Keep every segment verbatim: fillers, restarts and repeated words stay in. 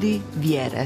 Ljudi vjere.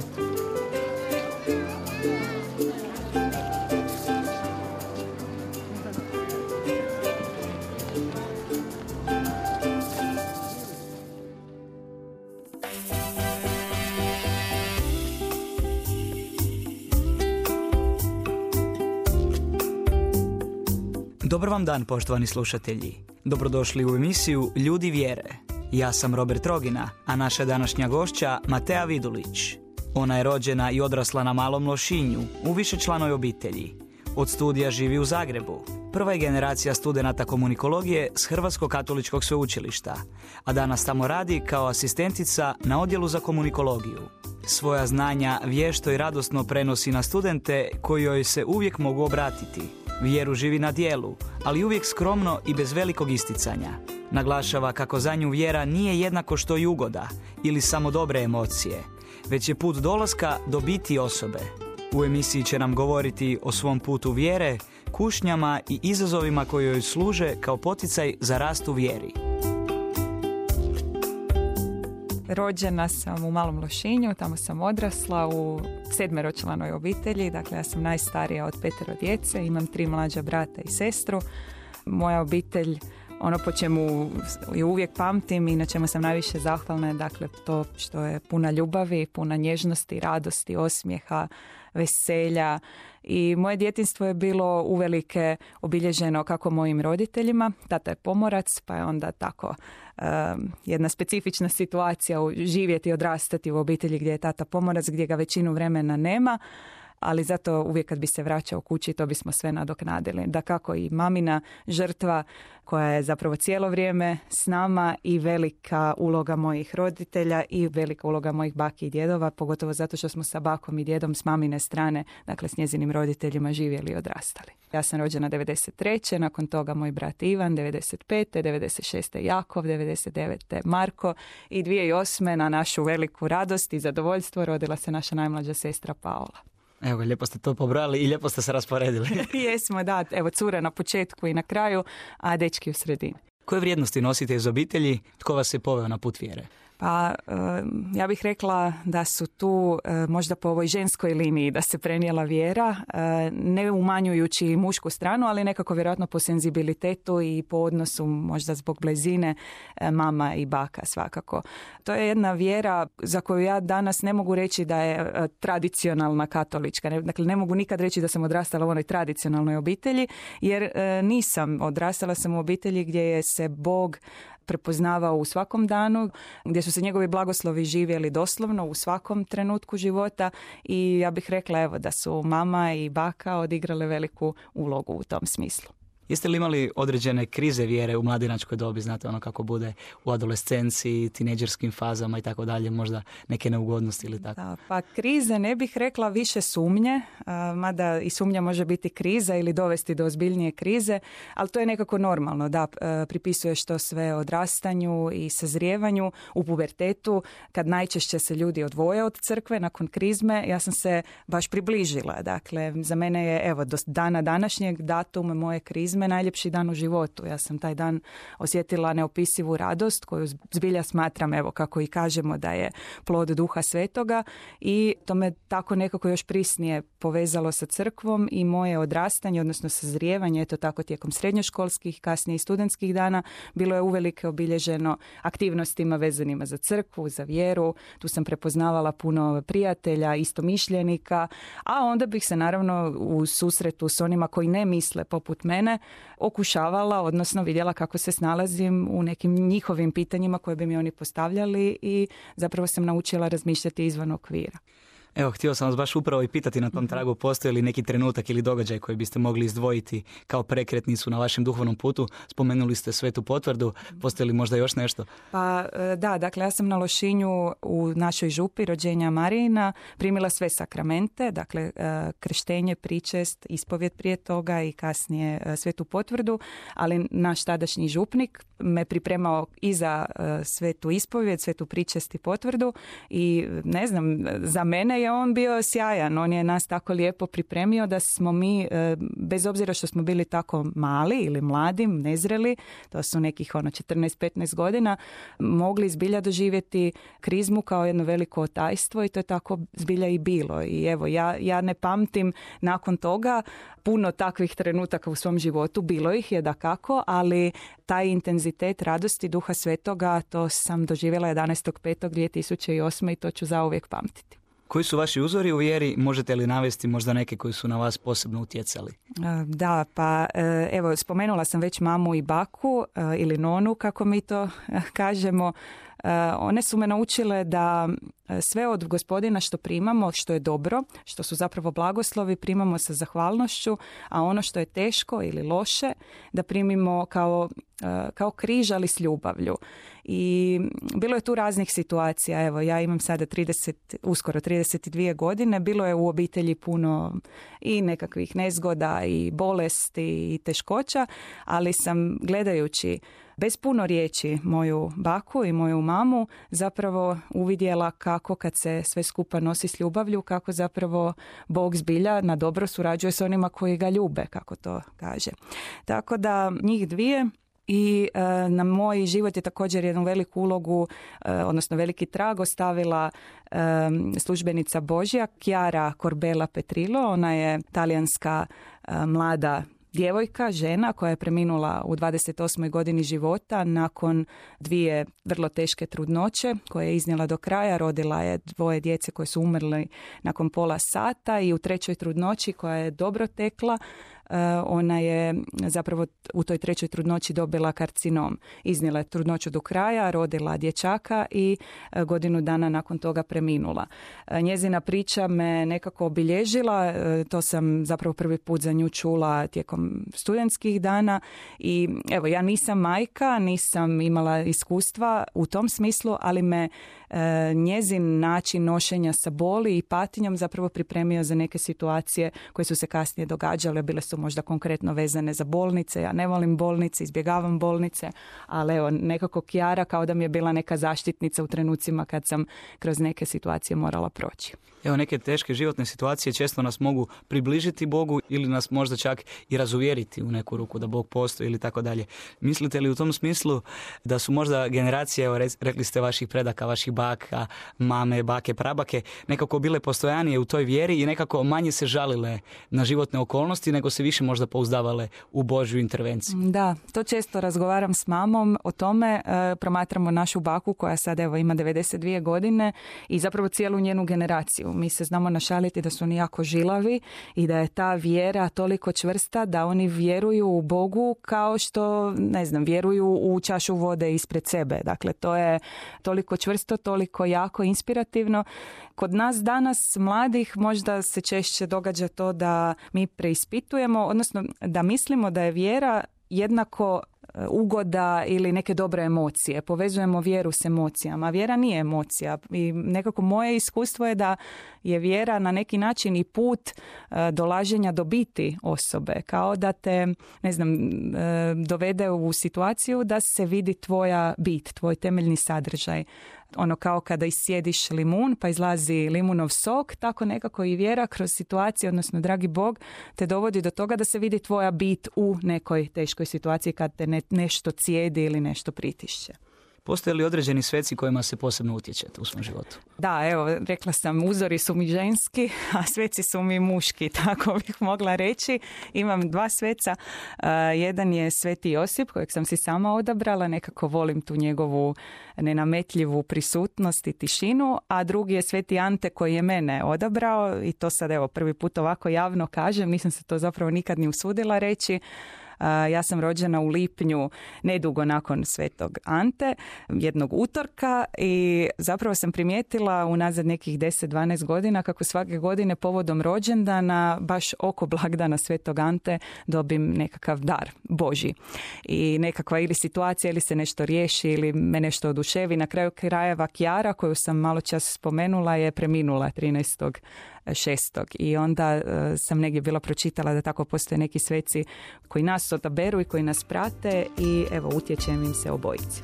Dobar vam dan, poštovani slušatelji. Dobrodošli u emisiju Ljudi vjere. Ja sam Robert Rogina, a naša današnja gošća Matea Vidulić. Ona je rođena i odrasla na Malom Lošinju, u višečlanoj obitelji. Od studija živi u Zagrebu. Prva je generacija studenata komunikologije s Hrvatskog katoličkog sveučilišta, a danas tamo radi kao asistentica na odjelu za komunikologiju. Svoja znanja vješto i radosno prenosi na studente koji joj se uvijek mogu obratiti. Vjeru živi na djelu, ali uvijek skromno i bez velikog isticanja. Naglašava kako za nju vjera nije jednako što i ugoda ili samo dobre emocije, već je put dolaska do biti osobe. U emisiji će nam govoriti o svom putu vjere, kušnjama i izazovima koji joj služe kao poticaj za rast u vjeri. Rođena sam u Malom Lošinju, tamo sam odrasla u sedmeročlanoj obitelji, dakle ja sam najstarija od petero djece, imam tri mlađa brata i sestru. Moja obitelj, ono po čemu ju uvijek pamtim i na čemu sam najviše zahvalna je dakle to što je puna ljubavi, puna nježnosti, radosti, osmijeha, veselja. I moje djetinjstvo je bilo uvelike obilježeno kako mojim roditeljima. Tata je pomorac, pa je onda tako um, jedna specifična situacija živjeti i odrastati u obitelji gdje je tata pomorac, gdje ga većinu vremena nema. Ali zato uvijek kad bi se vraćao kući to bismo sve nadoknadili. Dakako i mamina žrtva koja je zapravo cijelo vrijeme s nama i velika uloga mojih roditelja i velika uloga mojih baki i djedova, pogotovo zato što smo sa bakom i djedom s mamine strane, dakle s njezinim roditeljima živjeli i odrastali. Ja sam rođena devedeset treće nakon toga moj brat Ivan, devedeset pete devedeset šeste Jakov, devedeset devete Marko i dvije tisuće osme na našu veliku radost i zadovoljstvo rodila se naša najmlađa sestra Paola. Evo, lijepo ste to pobrali i lijepo ste se rasporedili. Jesmo, da. Evo, cure na početku i na kraju, a dečki u sredini. Koje vrijednosti nosite iz obitelji? Tko vas je poveo na put vjere? Pa ja bih rekla da su tu možda po ovoj ženskoj liniji da se prenijela vjera, ne umanjujući mušku stranu, ali nekako vjerojatno po senzibilitetu i po odnosu možda zbog blizine mama i baka svakako. To je jedna vjera za koju ja danas ne mogu reći da je tradicionalna katolička. Dakle, ne mogu nikad reći da sam odrastala u onoj tradicionalnoj obitelji, jer nisam. Odrastala sam u obitelji gdje je se Bog prepoznavao u svakom danu, gdje su se njegovi blagoslovi živjeli doslovno u svakom trenutku života i ja bih rekla evo da su mama i baka odigrale veliku ulogu u tom smislu. Jeste li imali određene krize vjere u mladinačkoj dobi, znate ono kako bude u adolescenciji, tinejdžerskim fazama i tako dalje, možda neke neugodnosti ili tako? Da, pa krize ne bih rekla, više sumnje, mada i sumnja može biti kriza ili dovesti do ozbiljnije krize, ali to je nekako normalno, da pripisuješ to sve odrastanju i sazrijevanju u pubertetu, kad najčešće se ljudi odvoje od crkve nakon krizme, ja sam se baš približila, dakle za mene je evo do dana današnjeg datum moje krize najljepši dan u životu. Ja sam taj dan osjetila neopisivu radost koju zbilja smatram, evo kako i kažemo, da je plod Duha Svetoga i to me tako nekako još prisnije povezalo sa crkvom i moje odrastanje, odnosno sazrijevanje, eto tako tijekom srednjoškolskih, kasnije i studentskih dana, bilo je uvelike obilježeno aktivnostima vezanima za crkvu, za vjeru. Tu sam prepoznavala puno prijatelja, istomišljenika, a onda bih se naravno u susretu s onima koji ne misle poput mene okušavala, odnosno vidjela kako se snalazim u nekim njihovim pitanjima koje bi mi oni postavljali i zapravo sam naučila razmišljati izvan okvira. Evo, htio sam vas baš upravo i pitati na tom tragu, postoji li neki trenutak ili događaj koji biste mogli izdvojiti kao prekretnicu na vašem duhovnom putu? Spomenuli ste Svetu potvrdu, postoji li možda još nešto? Pa da, dakle ja sam na Lošinju u našoj župi rođenja Marijina primila sve sakramente, dakle krštenje, pričest, ispovjed prije toga i kasnije Svetu potvrdu, ali naš tadašnji župnik me pripremao i za Svetu ispovjed, Svetu pričest i potvrdu i ne znam, za mene je on bio sjajan. On je nas tako lijepo pripremio da smo mi, bez obzira što smo bili tako mali ili mladi, nezreli, to su nekih ono četrnaest petnaest godina, mogli zbilja doživjeti krizmu kao jedno veliko otajstvo i to je tako zbilja i bilo. I evo, ja, ja ne pamtim nakon toga puno takvih trenutaka u svom životu. Bilo ih je dakako, ali taj intenzitet radosti Duha Svetoga, to sam doživjela jedanaestog petog dvije tisuće osme i to ću zauvijek pamtiti. Koji su vaši uzori u vjeri? Možete li navesti možda neke koji su na vas posebno utjecali? Da, pa evo, spomenula sam već mamu i baku ili nonu, kako mi to kažemo. One su me naučile da sve od Gospodina što primamo, što je dobro, što su zapravo blagoslovi, primamo sa zahvalnošću, a ono što je teško ili loše, da primimo kao, kao križ, ali s ljubavlju. I bilo je tu raznih situacija. Evo, ja imam sada trideset, uskoro trideset dvije godine. Bilo je u obitelji puno i nekakvih nezgoda i bolesti i teškoća, ali sam gledajući bez puno riječi moju baku i moju mamu zapravo uvidjela kako kad se sve skupa nosi s ljubavlju, kako zapravo Bog zbilja na dobro surađuje s onima koji ga ljube, kako to kaže. Tako da njih dvije i e, na moj život je također jednu veliku ulogu, e, odnosno veliki trag ostavila e, službenica Božja Chiara Corbella Petrillo. Ona je talijanska e, mlada djevojka, žena koja je preminula u dvadeset osmoj godini života nakon dvije vrlo teške trudnoće koje je iznijela do kraja. Rodila je dvoje djece koje su umrli nakon pola sata i u trećoj trudnoći koja je dobro tekla, ona je zapravo u toj trećoj trudnoći dobila karcinom. Iznijela je trudnoću do kraja, rodila dječaka i godinu dana nakon toga preminula. Njezina priča me nekako obilježila, to sam zapravo prvi put za nju čula tijekom studentskih dana i evo, ja nisam majka, nisam imala iskustva u tom smislu, ali me njezin način nošenja sa boli i patinjom zapravo pripremio za neke situacije koje su se kasnije događale. Bile su možda konkretno vezane za bolnice. Ja ne volim bolnice, izbjegavam bolnice, ali evo, nekako Chiara kao da mi je bila neka zaštitnica u trenucima kad sam kroz neke situacije morala proći. Evo, neke teške životne situacije često nas mogu približiti Bogu ili nas možda čak i razuvjeriti u neku ruku da Bog postoji ili tako dalje. Mislite li u tom smislu da su možda generacije, evo, rekli ste vaših predaka, vaših baka, mame, bake, prabake, nekako bile postojanije u toj vjeri i nekako manje se žalile na životne okolnosti, nego se više možda pouzdavale u Božju intervenciju? Da, to često razgovaram s mamom o tome. E, promatramo našu baku koja sad evo ima devedeset dvije godine i zapravo cijelu njenu generaciju. Mi se znamo našaliti da su oni jako žilavi i da je ta vjera toliko čvrsta da oni vjeruju u Bogu kao što, ne znam, vjeruju u čašu vode ispred sebe. Dakle, to je toliko čvrsto, toliko jako inspirativno. Kod nas danas, mladih, možda se češće događa to da mi preispitujemo, odnosno da mislimo da je vjera jednako ugoda ili neke dobre emocije. Povezujemo vjeru s emocijama. Vjera nije emocija. I nekako moje iskustvo je da je vjera na neki način i put dolaženja do biti osobe. Kao da te, ne znam, dovede u situaciju da se vidi tvoja bit, tvoj temeljni sadržaj. Ono kao kada isjediš limun pa izlazi limunov sok, tako nekako i vjera kroz situaciju, odnosno dragi Bog te dovodi do toga da se vidi tvoja bit u nekoj teškoj situaciji kad te ne, nešto cijedi ili nešto pritišće. Postoje li određeni sveci kojima se posebno utječete u svom životu? Da, evo, rekla sam, uzori su mi ženski, a sveci su mi muški, tako bih mogla reći. Imam dva sveca. Uh, jedan je Sveti Josip, kojeg sam si sama odabrala, nekako volim tu njegovu nenametljivu prisutnost i tišinu, a drugi je Sveti Ante koji je mene odabrao i to sad evo prvi put ovako javno kažem, nisam se to zapravo nikad ni usudila reći. Ja sam rođena u lipnju, nedugo nakon Svetog Ante, jednog utorka i zapravo sam primijetila unazad nekih deset dvanaest godina kako svake godine povodom rođendana, baš oko blagdana Svetog Ante, dobim nekakav dar Božji. I nekakva ili situacija ili se nešto riješi ili me nešto oduševi. Na kraju krajeva Chiara, koju sam malo čas spomenula, je preminula trinaestog šestog I onda uh, sam negdje bila pročitala da tako postoje neki sveci koji nas odaberu i koji nas prate i evo utječem im se obojici.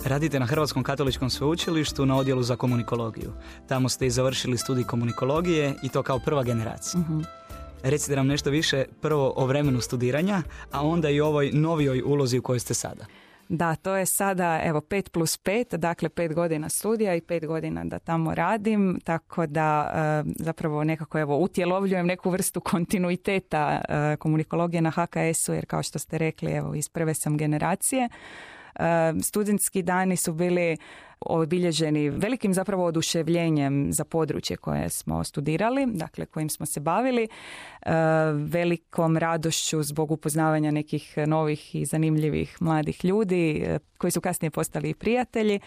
Radite na Hrvatskom katoličkom sveučilištu na odjelu za komunikologiju. Tamo ste i završili studij komunikologije i to kao prva generacija. Uh-huh. Recite nam nešto više prvo o vremenu studiranja, a onda i o ovoj novijoj ulozi u kojoj ste sada. Da, to je sada evo pet plus pet, dakle pet godina studija i pet godina da tamo radim, tako da e, zapravo nekako evo utjelovljujem neku vrstu kontinuiteta e, komunikologije na ha ka esu, jer kao što ste rekli, evo iz prve sam generacije. E, studentski dani su bili obilježeni velikim zapravo oduševljenjem za područje koje smo studirali, dakle kojim smo se bavili, e, velikom radošću zbog upoznavanja nekih novih i zanimljivih mladih ljudi e, koji su kasnije postali i prijatelji.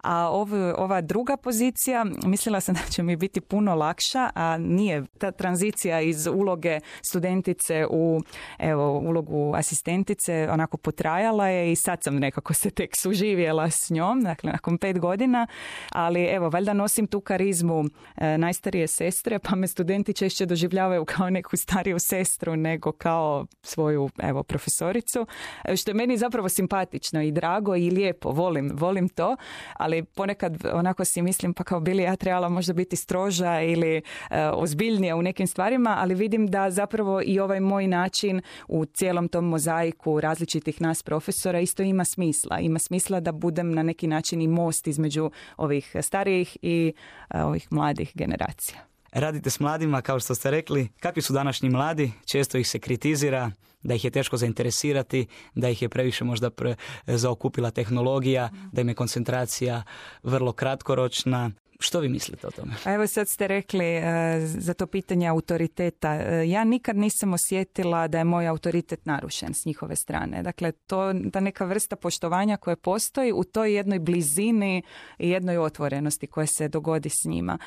A ov, ova druga pozicija, mislila sam da će mi biti puno lakša, a nije. Ta tranzicija iz uloge studentice u evo, ulogu asistentice onako potrajala je i sad sam nekako se tek suživjela s njom, dakle nakon pet godina, ali evo, valjda nosim tu karizmu e, najstarije sestre, pa me studenti češće doživljavaju kao neku stariju sestru nego kao svoju evo, profesoricu, što je meni zapravo simpatično i drago i lijepo, volim, volim to, ali ponekad onako si mislim pa kao bili ja trebala možda biti stroža ili e, ozbiljnija u nekim stvarima, ali vidim da zapravo i ovaj moj način u cijelom tom mozaiku različitih nas profesora isto ima smisla. Ima smisla da budem na neki način i most između ovih starijih i e, ovih mladih generacija. Radite s mladima, kao što ste rekli. Kakvi su današnji mladi? Često ih se kritizira, da ih je teško zainteresirati, da ih je previše možda pre, zaokupila tehnologija, da im je koncentracija vrlo kratkoročna. Što vi mislite o tome? A evo sad ste rekli uh, za to pitanje autoriteta. Uh, ja nikad nisam osjetila da je moj autoritet narušen s njihove strane. Dakle, to ta neka vrsta poštovanja koja postoji u toj jednoj blizini i jednoj otvorenosti koja se dogodi s njima.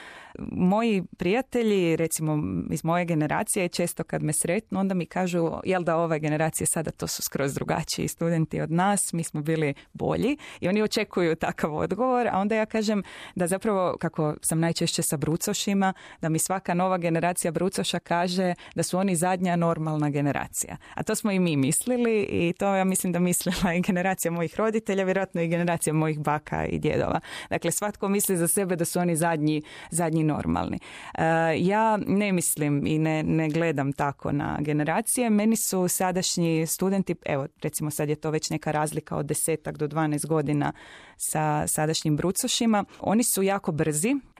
Moji prijatelji, recimo iz moje generacije, često kad me sretnu, onda mi kažu, jel da ove generacije sada to su skroz drugačiji studenti od nas, mi smo bili bolji i oni očekuju takav odgovor, a onda ja kažem da zapravo kako sam najčešće sa brucošima, da mi svaka nova generacija brucoša kaže da su oni zadnja normalna generacija. A to smo i mi mislili i to ja mislim da mislila i generacija mojih roditelja, vjerojatno i generacija mojih baka i djedova. Dakle, svatko misli za sebe da su oni zadnji, zadnji normalni. Uh, ja ne mislim i ne, ne gledam tako na generacije. Meni su sadašnji studenti, evo recimo sad je to već neka razlika od desetak do dvanaest godina sa sadašnjim brucošima. Oni su jako brzi,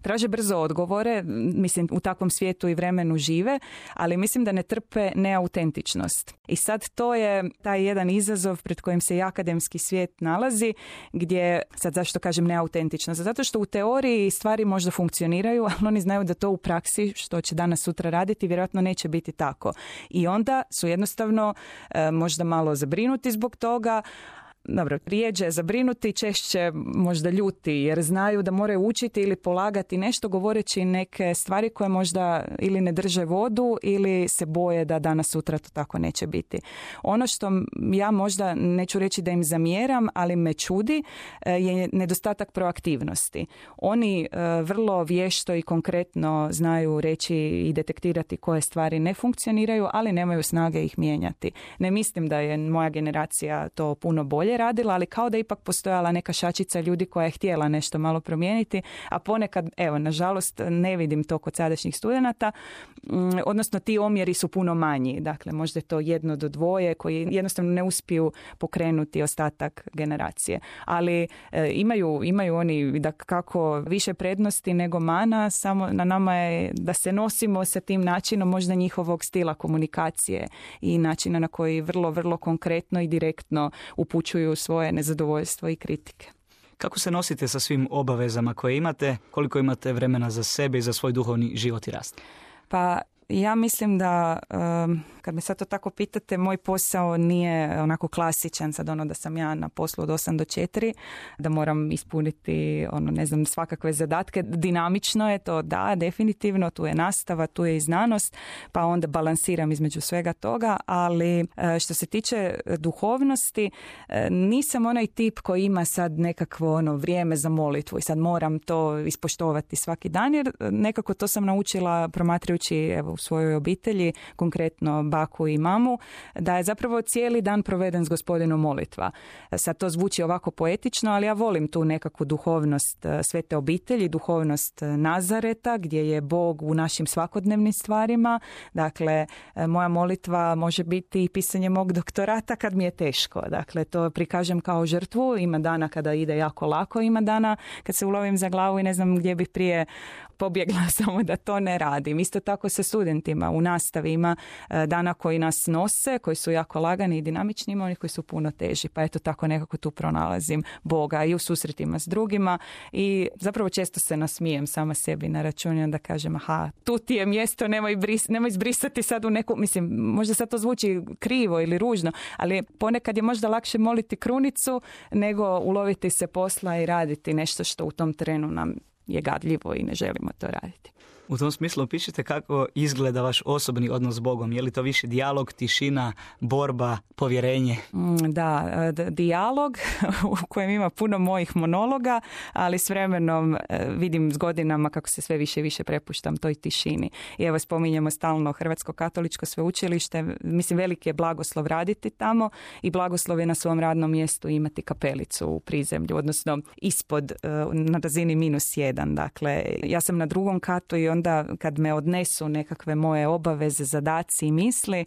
traže brzo odgovore, mislim u takvom svijetu i vremenu žive, ali mislim da ne trpe neautentičnost. I sad to je taj jedan izazov pred kojim se i akademski svijet nalazi, gdje, sad zašto kažem neautentičnost? Zato što u teoriji stvari možda funkcioniraju, ali oni znaju da to u praksi, što će danas sutra raditi, vjerojatno neće biti tako. I onda su jednostavno e, možda malo zabrinuti zbog toga, dobro, rijeđe zabrinuti, češće možda ljuti jer znaju da moraju učiti ili polagati nešto govoreći neke stvari koje možda ili ne drže vodu ili se boje da danas sutra to tako neće biti. Ono što ja možda neću reći da im zamjeram, ali me čudi je nedostatak proaktivnosti. Oni vrlo vješto i konkretno znaju reći i detektirati koje stvari ne funkcioniraju, ali nemaju snage ih mijenjati. Ne mislim da je moja generacija to puno bolje radila, ali kao da ipak postojala neka šačica ljudi koja je htjela nešto malo promijeniti, a ponekad, evo, nažalost, ne vidim to kod sadašnjih studenata, odnosno ti omjeri su puno manji, dakle, možda je to jedno do dvoje koji jednostavno ne uspiju pokrenuti ostatak generacije, ali e, imaju, imaju oni da kako više prednosti nego mana, samo na nama je da se nosimo sa tim načinom možda njihovog stila komunikacije i načina na koji vrlo, vrlo konkretno i direktno upućuju svoje nezadovoljstvo i kritike. Kako se nosite sa svim obavezama koje imate? Koliko imate vremena za sebe i za svoj duhovni život i rast? Pa ja mislim da, um, kad me sad to tako pitate, moj posao nije onako klasičan, sad ono da sam ja na poslu od osam do četiri, da moram ispuniti, ono, ne znam, svakakve zadatke. Dinamično je to, da, definitivno, tu je nastava, tu je i znanost, pa onda balansiram između svega toga, ali što se tiče duhovnosti, nisam onaj tip koji ima sad nekakvo ono vrijeme za molitvu i sad moram to ispoštovati svaki dan, jer nekako to sam naučila promatrajući, evo, u svojoj obitelji, konkretno taku i mamu, da je zapravo cijeli dan proveden s Gospodinom molitva. Sad to zvuči ovako poetično, ali ja volim tu nekakvu duhovnost Svete obitelji, duhovnost Nazareta, gdje je Bog u našim svakodnevnim stvarima. Dakle, moja molitva može biti i pisanje mog doktorata kad mi je teško. Dakle, to prikažem kao žrtvu. Ima dana kada ide jako lako, ima dana kad se ulovim za glavu i ne znam gdje bih prije pobjegla, samo da to ne radim. Isto tako sa studentima u nastavi ima dana koji nas nose, koji su jako lagani i dinamični, ima onih koji su puno teži. Pa eto tako nekako tu pronalazim Boga i u susretima s drugima i zapravo često se nasmijem sama sebi na račun i onda kažem aha, tu ti je mjesto, nemoj, bris, nemoj zbrisati sad u neku, mislim, možda sad to zvuči krivo ili ružno, ali ponekad je možda lakše moliti krunicu nego uloviti se posla i raditi nešto što u tom trenu nam je gadljivo i ne želimo to raditi. U tom smislu pišite kako izgleda vaš osobni odnos s Bogom. Je li to više dijalog, tišina, borba, povjerenje? Da, d- dijalog u kojem ima puno mojih monologa, ali s vremenom vidim s godinama kako se sve više i više prepuštam toj tišini. I evo spominjemo stalno Hrvatsko katoličko sveučilište. Mislim, veliki je blagoslov raditi tamo i blagoslov je na svom radnom mjestu imati kapelicu u prizemlju, odnosno ispod, na razini minus jedan. Dakle, ja sam na drugom katu i onda onda kad me odnesu nekakve moje obaveze, zadaci i misli,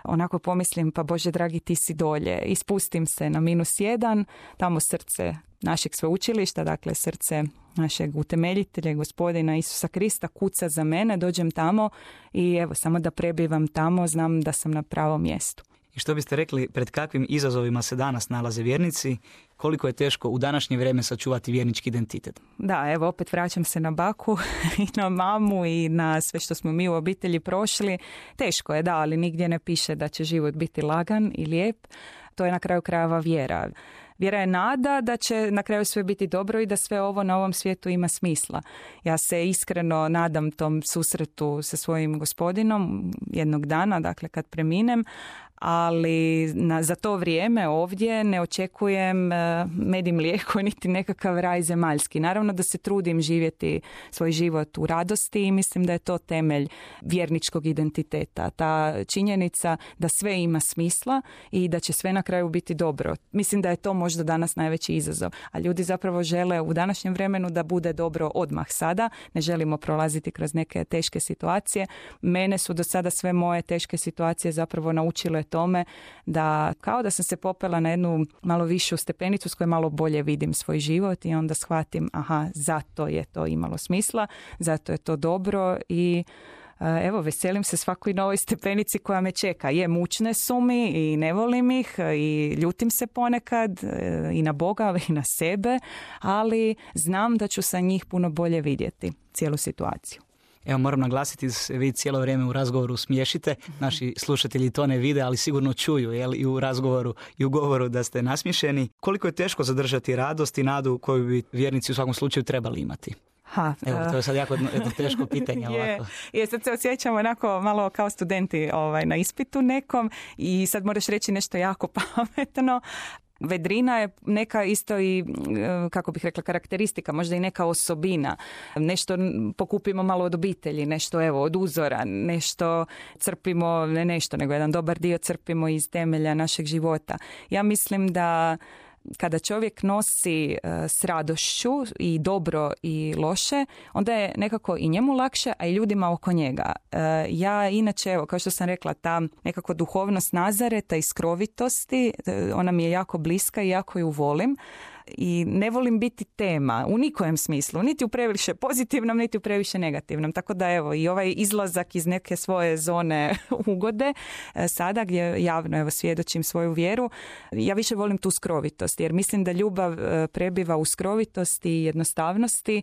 onako pomislim pa Bože dragi ti si dolje. I spustim se na minus jedan, tamo srce našeg sveučilišta, dakle srce našeg utemeljitelja, Gospodina Isusa Krista kuca za mene, dođem tamo i evo samo da prebivam tamo, znam da sam na pravom mjestu. I što biste rekli, pred kakvim izazovima se danas nalaze vjernici? Koliko je teško u današnje vrijeme sačuvati vjernički identitet? Da, evo opet vraćam se na baku i na mamu i na sve što smo mi u obitelji prošli. Teško je, da, ali nigdje ne piše da će život biti lagan i lijep. To je na kraju krajeva vjera. Vjera je nada da će na kraju sve biti dobro i da sve ovo na ovom svijetu ima smisla. Ja se iskreno nadam tom susretu sa svojim Gospodinom jednog dana, dakle kad preminem, ali na, za to vrijeme ovdje ne očekujem med i mlijeko niti nekakav raj zemaljski. Naravno da se trudim živjeti svoj život u radosti i mislim da je to temelj vjerničkog identiteta. Ta činjenica da sve ima smisla i da će sve na kraju biti dobro. Mislim da je to možda danas najveći izazov. A ljudi zapravo žele u današnjem vremenu da bude dobro odmah sada. Ne želimo prolaziti kroz neke teške situacije. Mene su do sada sve moje teške situacije zapravo naučile tome da kao da sam se popela na jednu malo višu stepenicu s kojoj malo bolje vidim svoj život i onda shvatim aha, zato je to imalo smisla, zato je to dobro i evo, veselim se svakoj novoj stepenici koja me čeka. Je, mučne su mi i ne volim ih i ljutim se ponekad i na Boga i na sebe, ali znam da ću sa njih puno bolje vidjeti cijelu situaciju. Evo, moram naglasiti da se vi cijelo vrijeme u razgovoru smiješite. Naši slušatelji to ne vide, ali sigurno čuju, jel, i u razgovoru i u govoru da ste nasmiješeni. Koliko je teško zadržati radost i nadu koju bi vjernici u svakom slučaju trebali imati? Ha, Evo, to je sad jako jedno, jedno teško pitanje. je, ovako. je, sad se osjećamo onako malo kao studenti ovaj, na ispitu nekom i sad moraš reći nešto jako pametno. Vedrina je neka isto i, kako bih rekla, karakteristika, možda i neka osobina. Nešto pokupimo malo od obitelji, nešto evo od uzora, nešto crpimo, ne nešto, nego jedan dobar dio crpimo iz temelja našeg života. Ja mislim da kada čovjek nosi s radošću i dobro i loše, onda je nekako i njemu lakše, a i ljudima oko njega. Ja inače, evo, kao što sam rekla, ta nekako duhovnost Nazareta i skrovitosti, ona mi je jako bliska i jako ju volim. I ne volim biti tema u nikojem smislu, niti u previše pozitivnom, niti u previše negativnom. Tako da evo i ovaj izlazak iz neke svoje zone ugode, sada gdje javno evo svjedočim svoju vjeru, ja više volim tu skrovitost, jer mislim da ljubav prebiva u skrovitosti i jednostavnosti.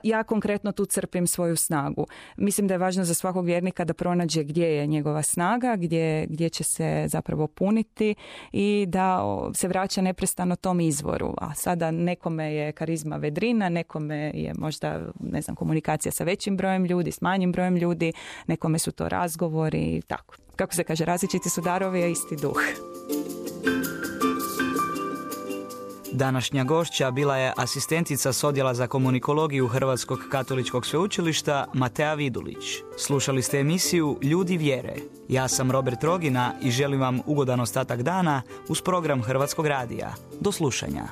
Ja konkretno tu crpim svoju snagu. Mislim da je važno za svakog vjernika da pronađe gdje je njegova snaga, gdje, gdje će se zapravo puniti i da se vraća neprestano tom izvoru. A sada nekome je karizma vedrina, nekome je možda, ne znam, komunikacija sa većim brojem ljudi, s manjim brojem ljudi, nekome su to razgovori i tako. Kako se kaže, različiti su darovi, a isti duh. Današnja gošća bila je asistentica s odjela za komunikologiju Hrvatskog katoličkog sveučilišta Matea Vidulić. Slušali ste emisiju Ljudi vjere. Ja sam Robert Trogina i želim vam ugodan ostatak dana uz program Hrvatskog radija. Do slušanja.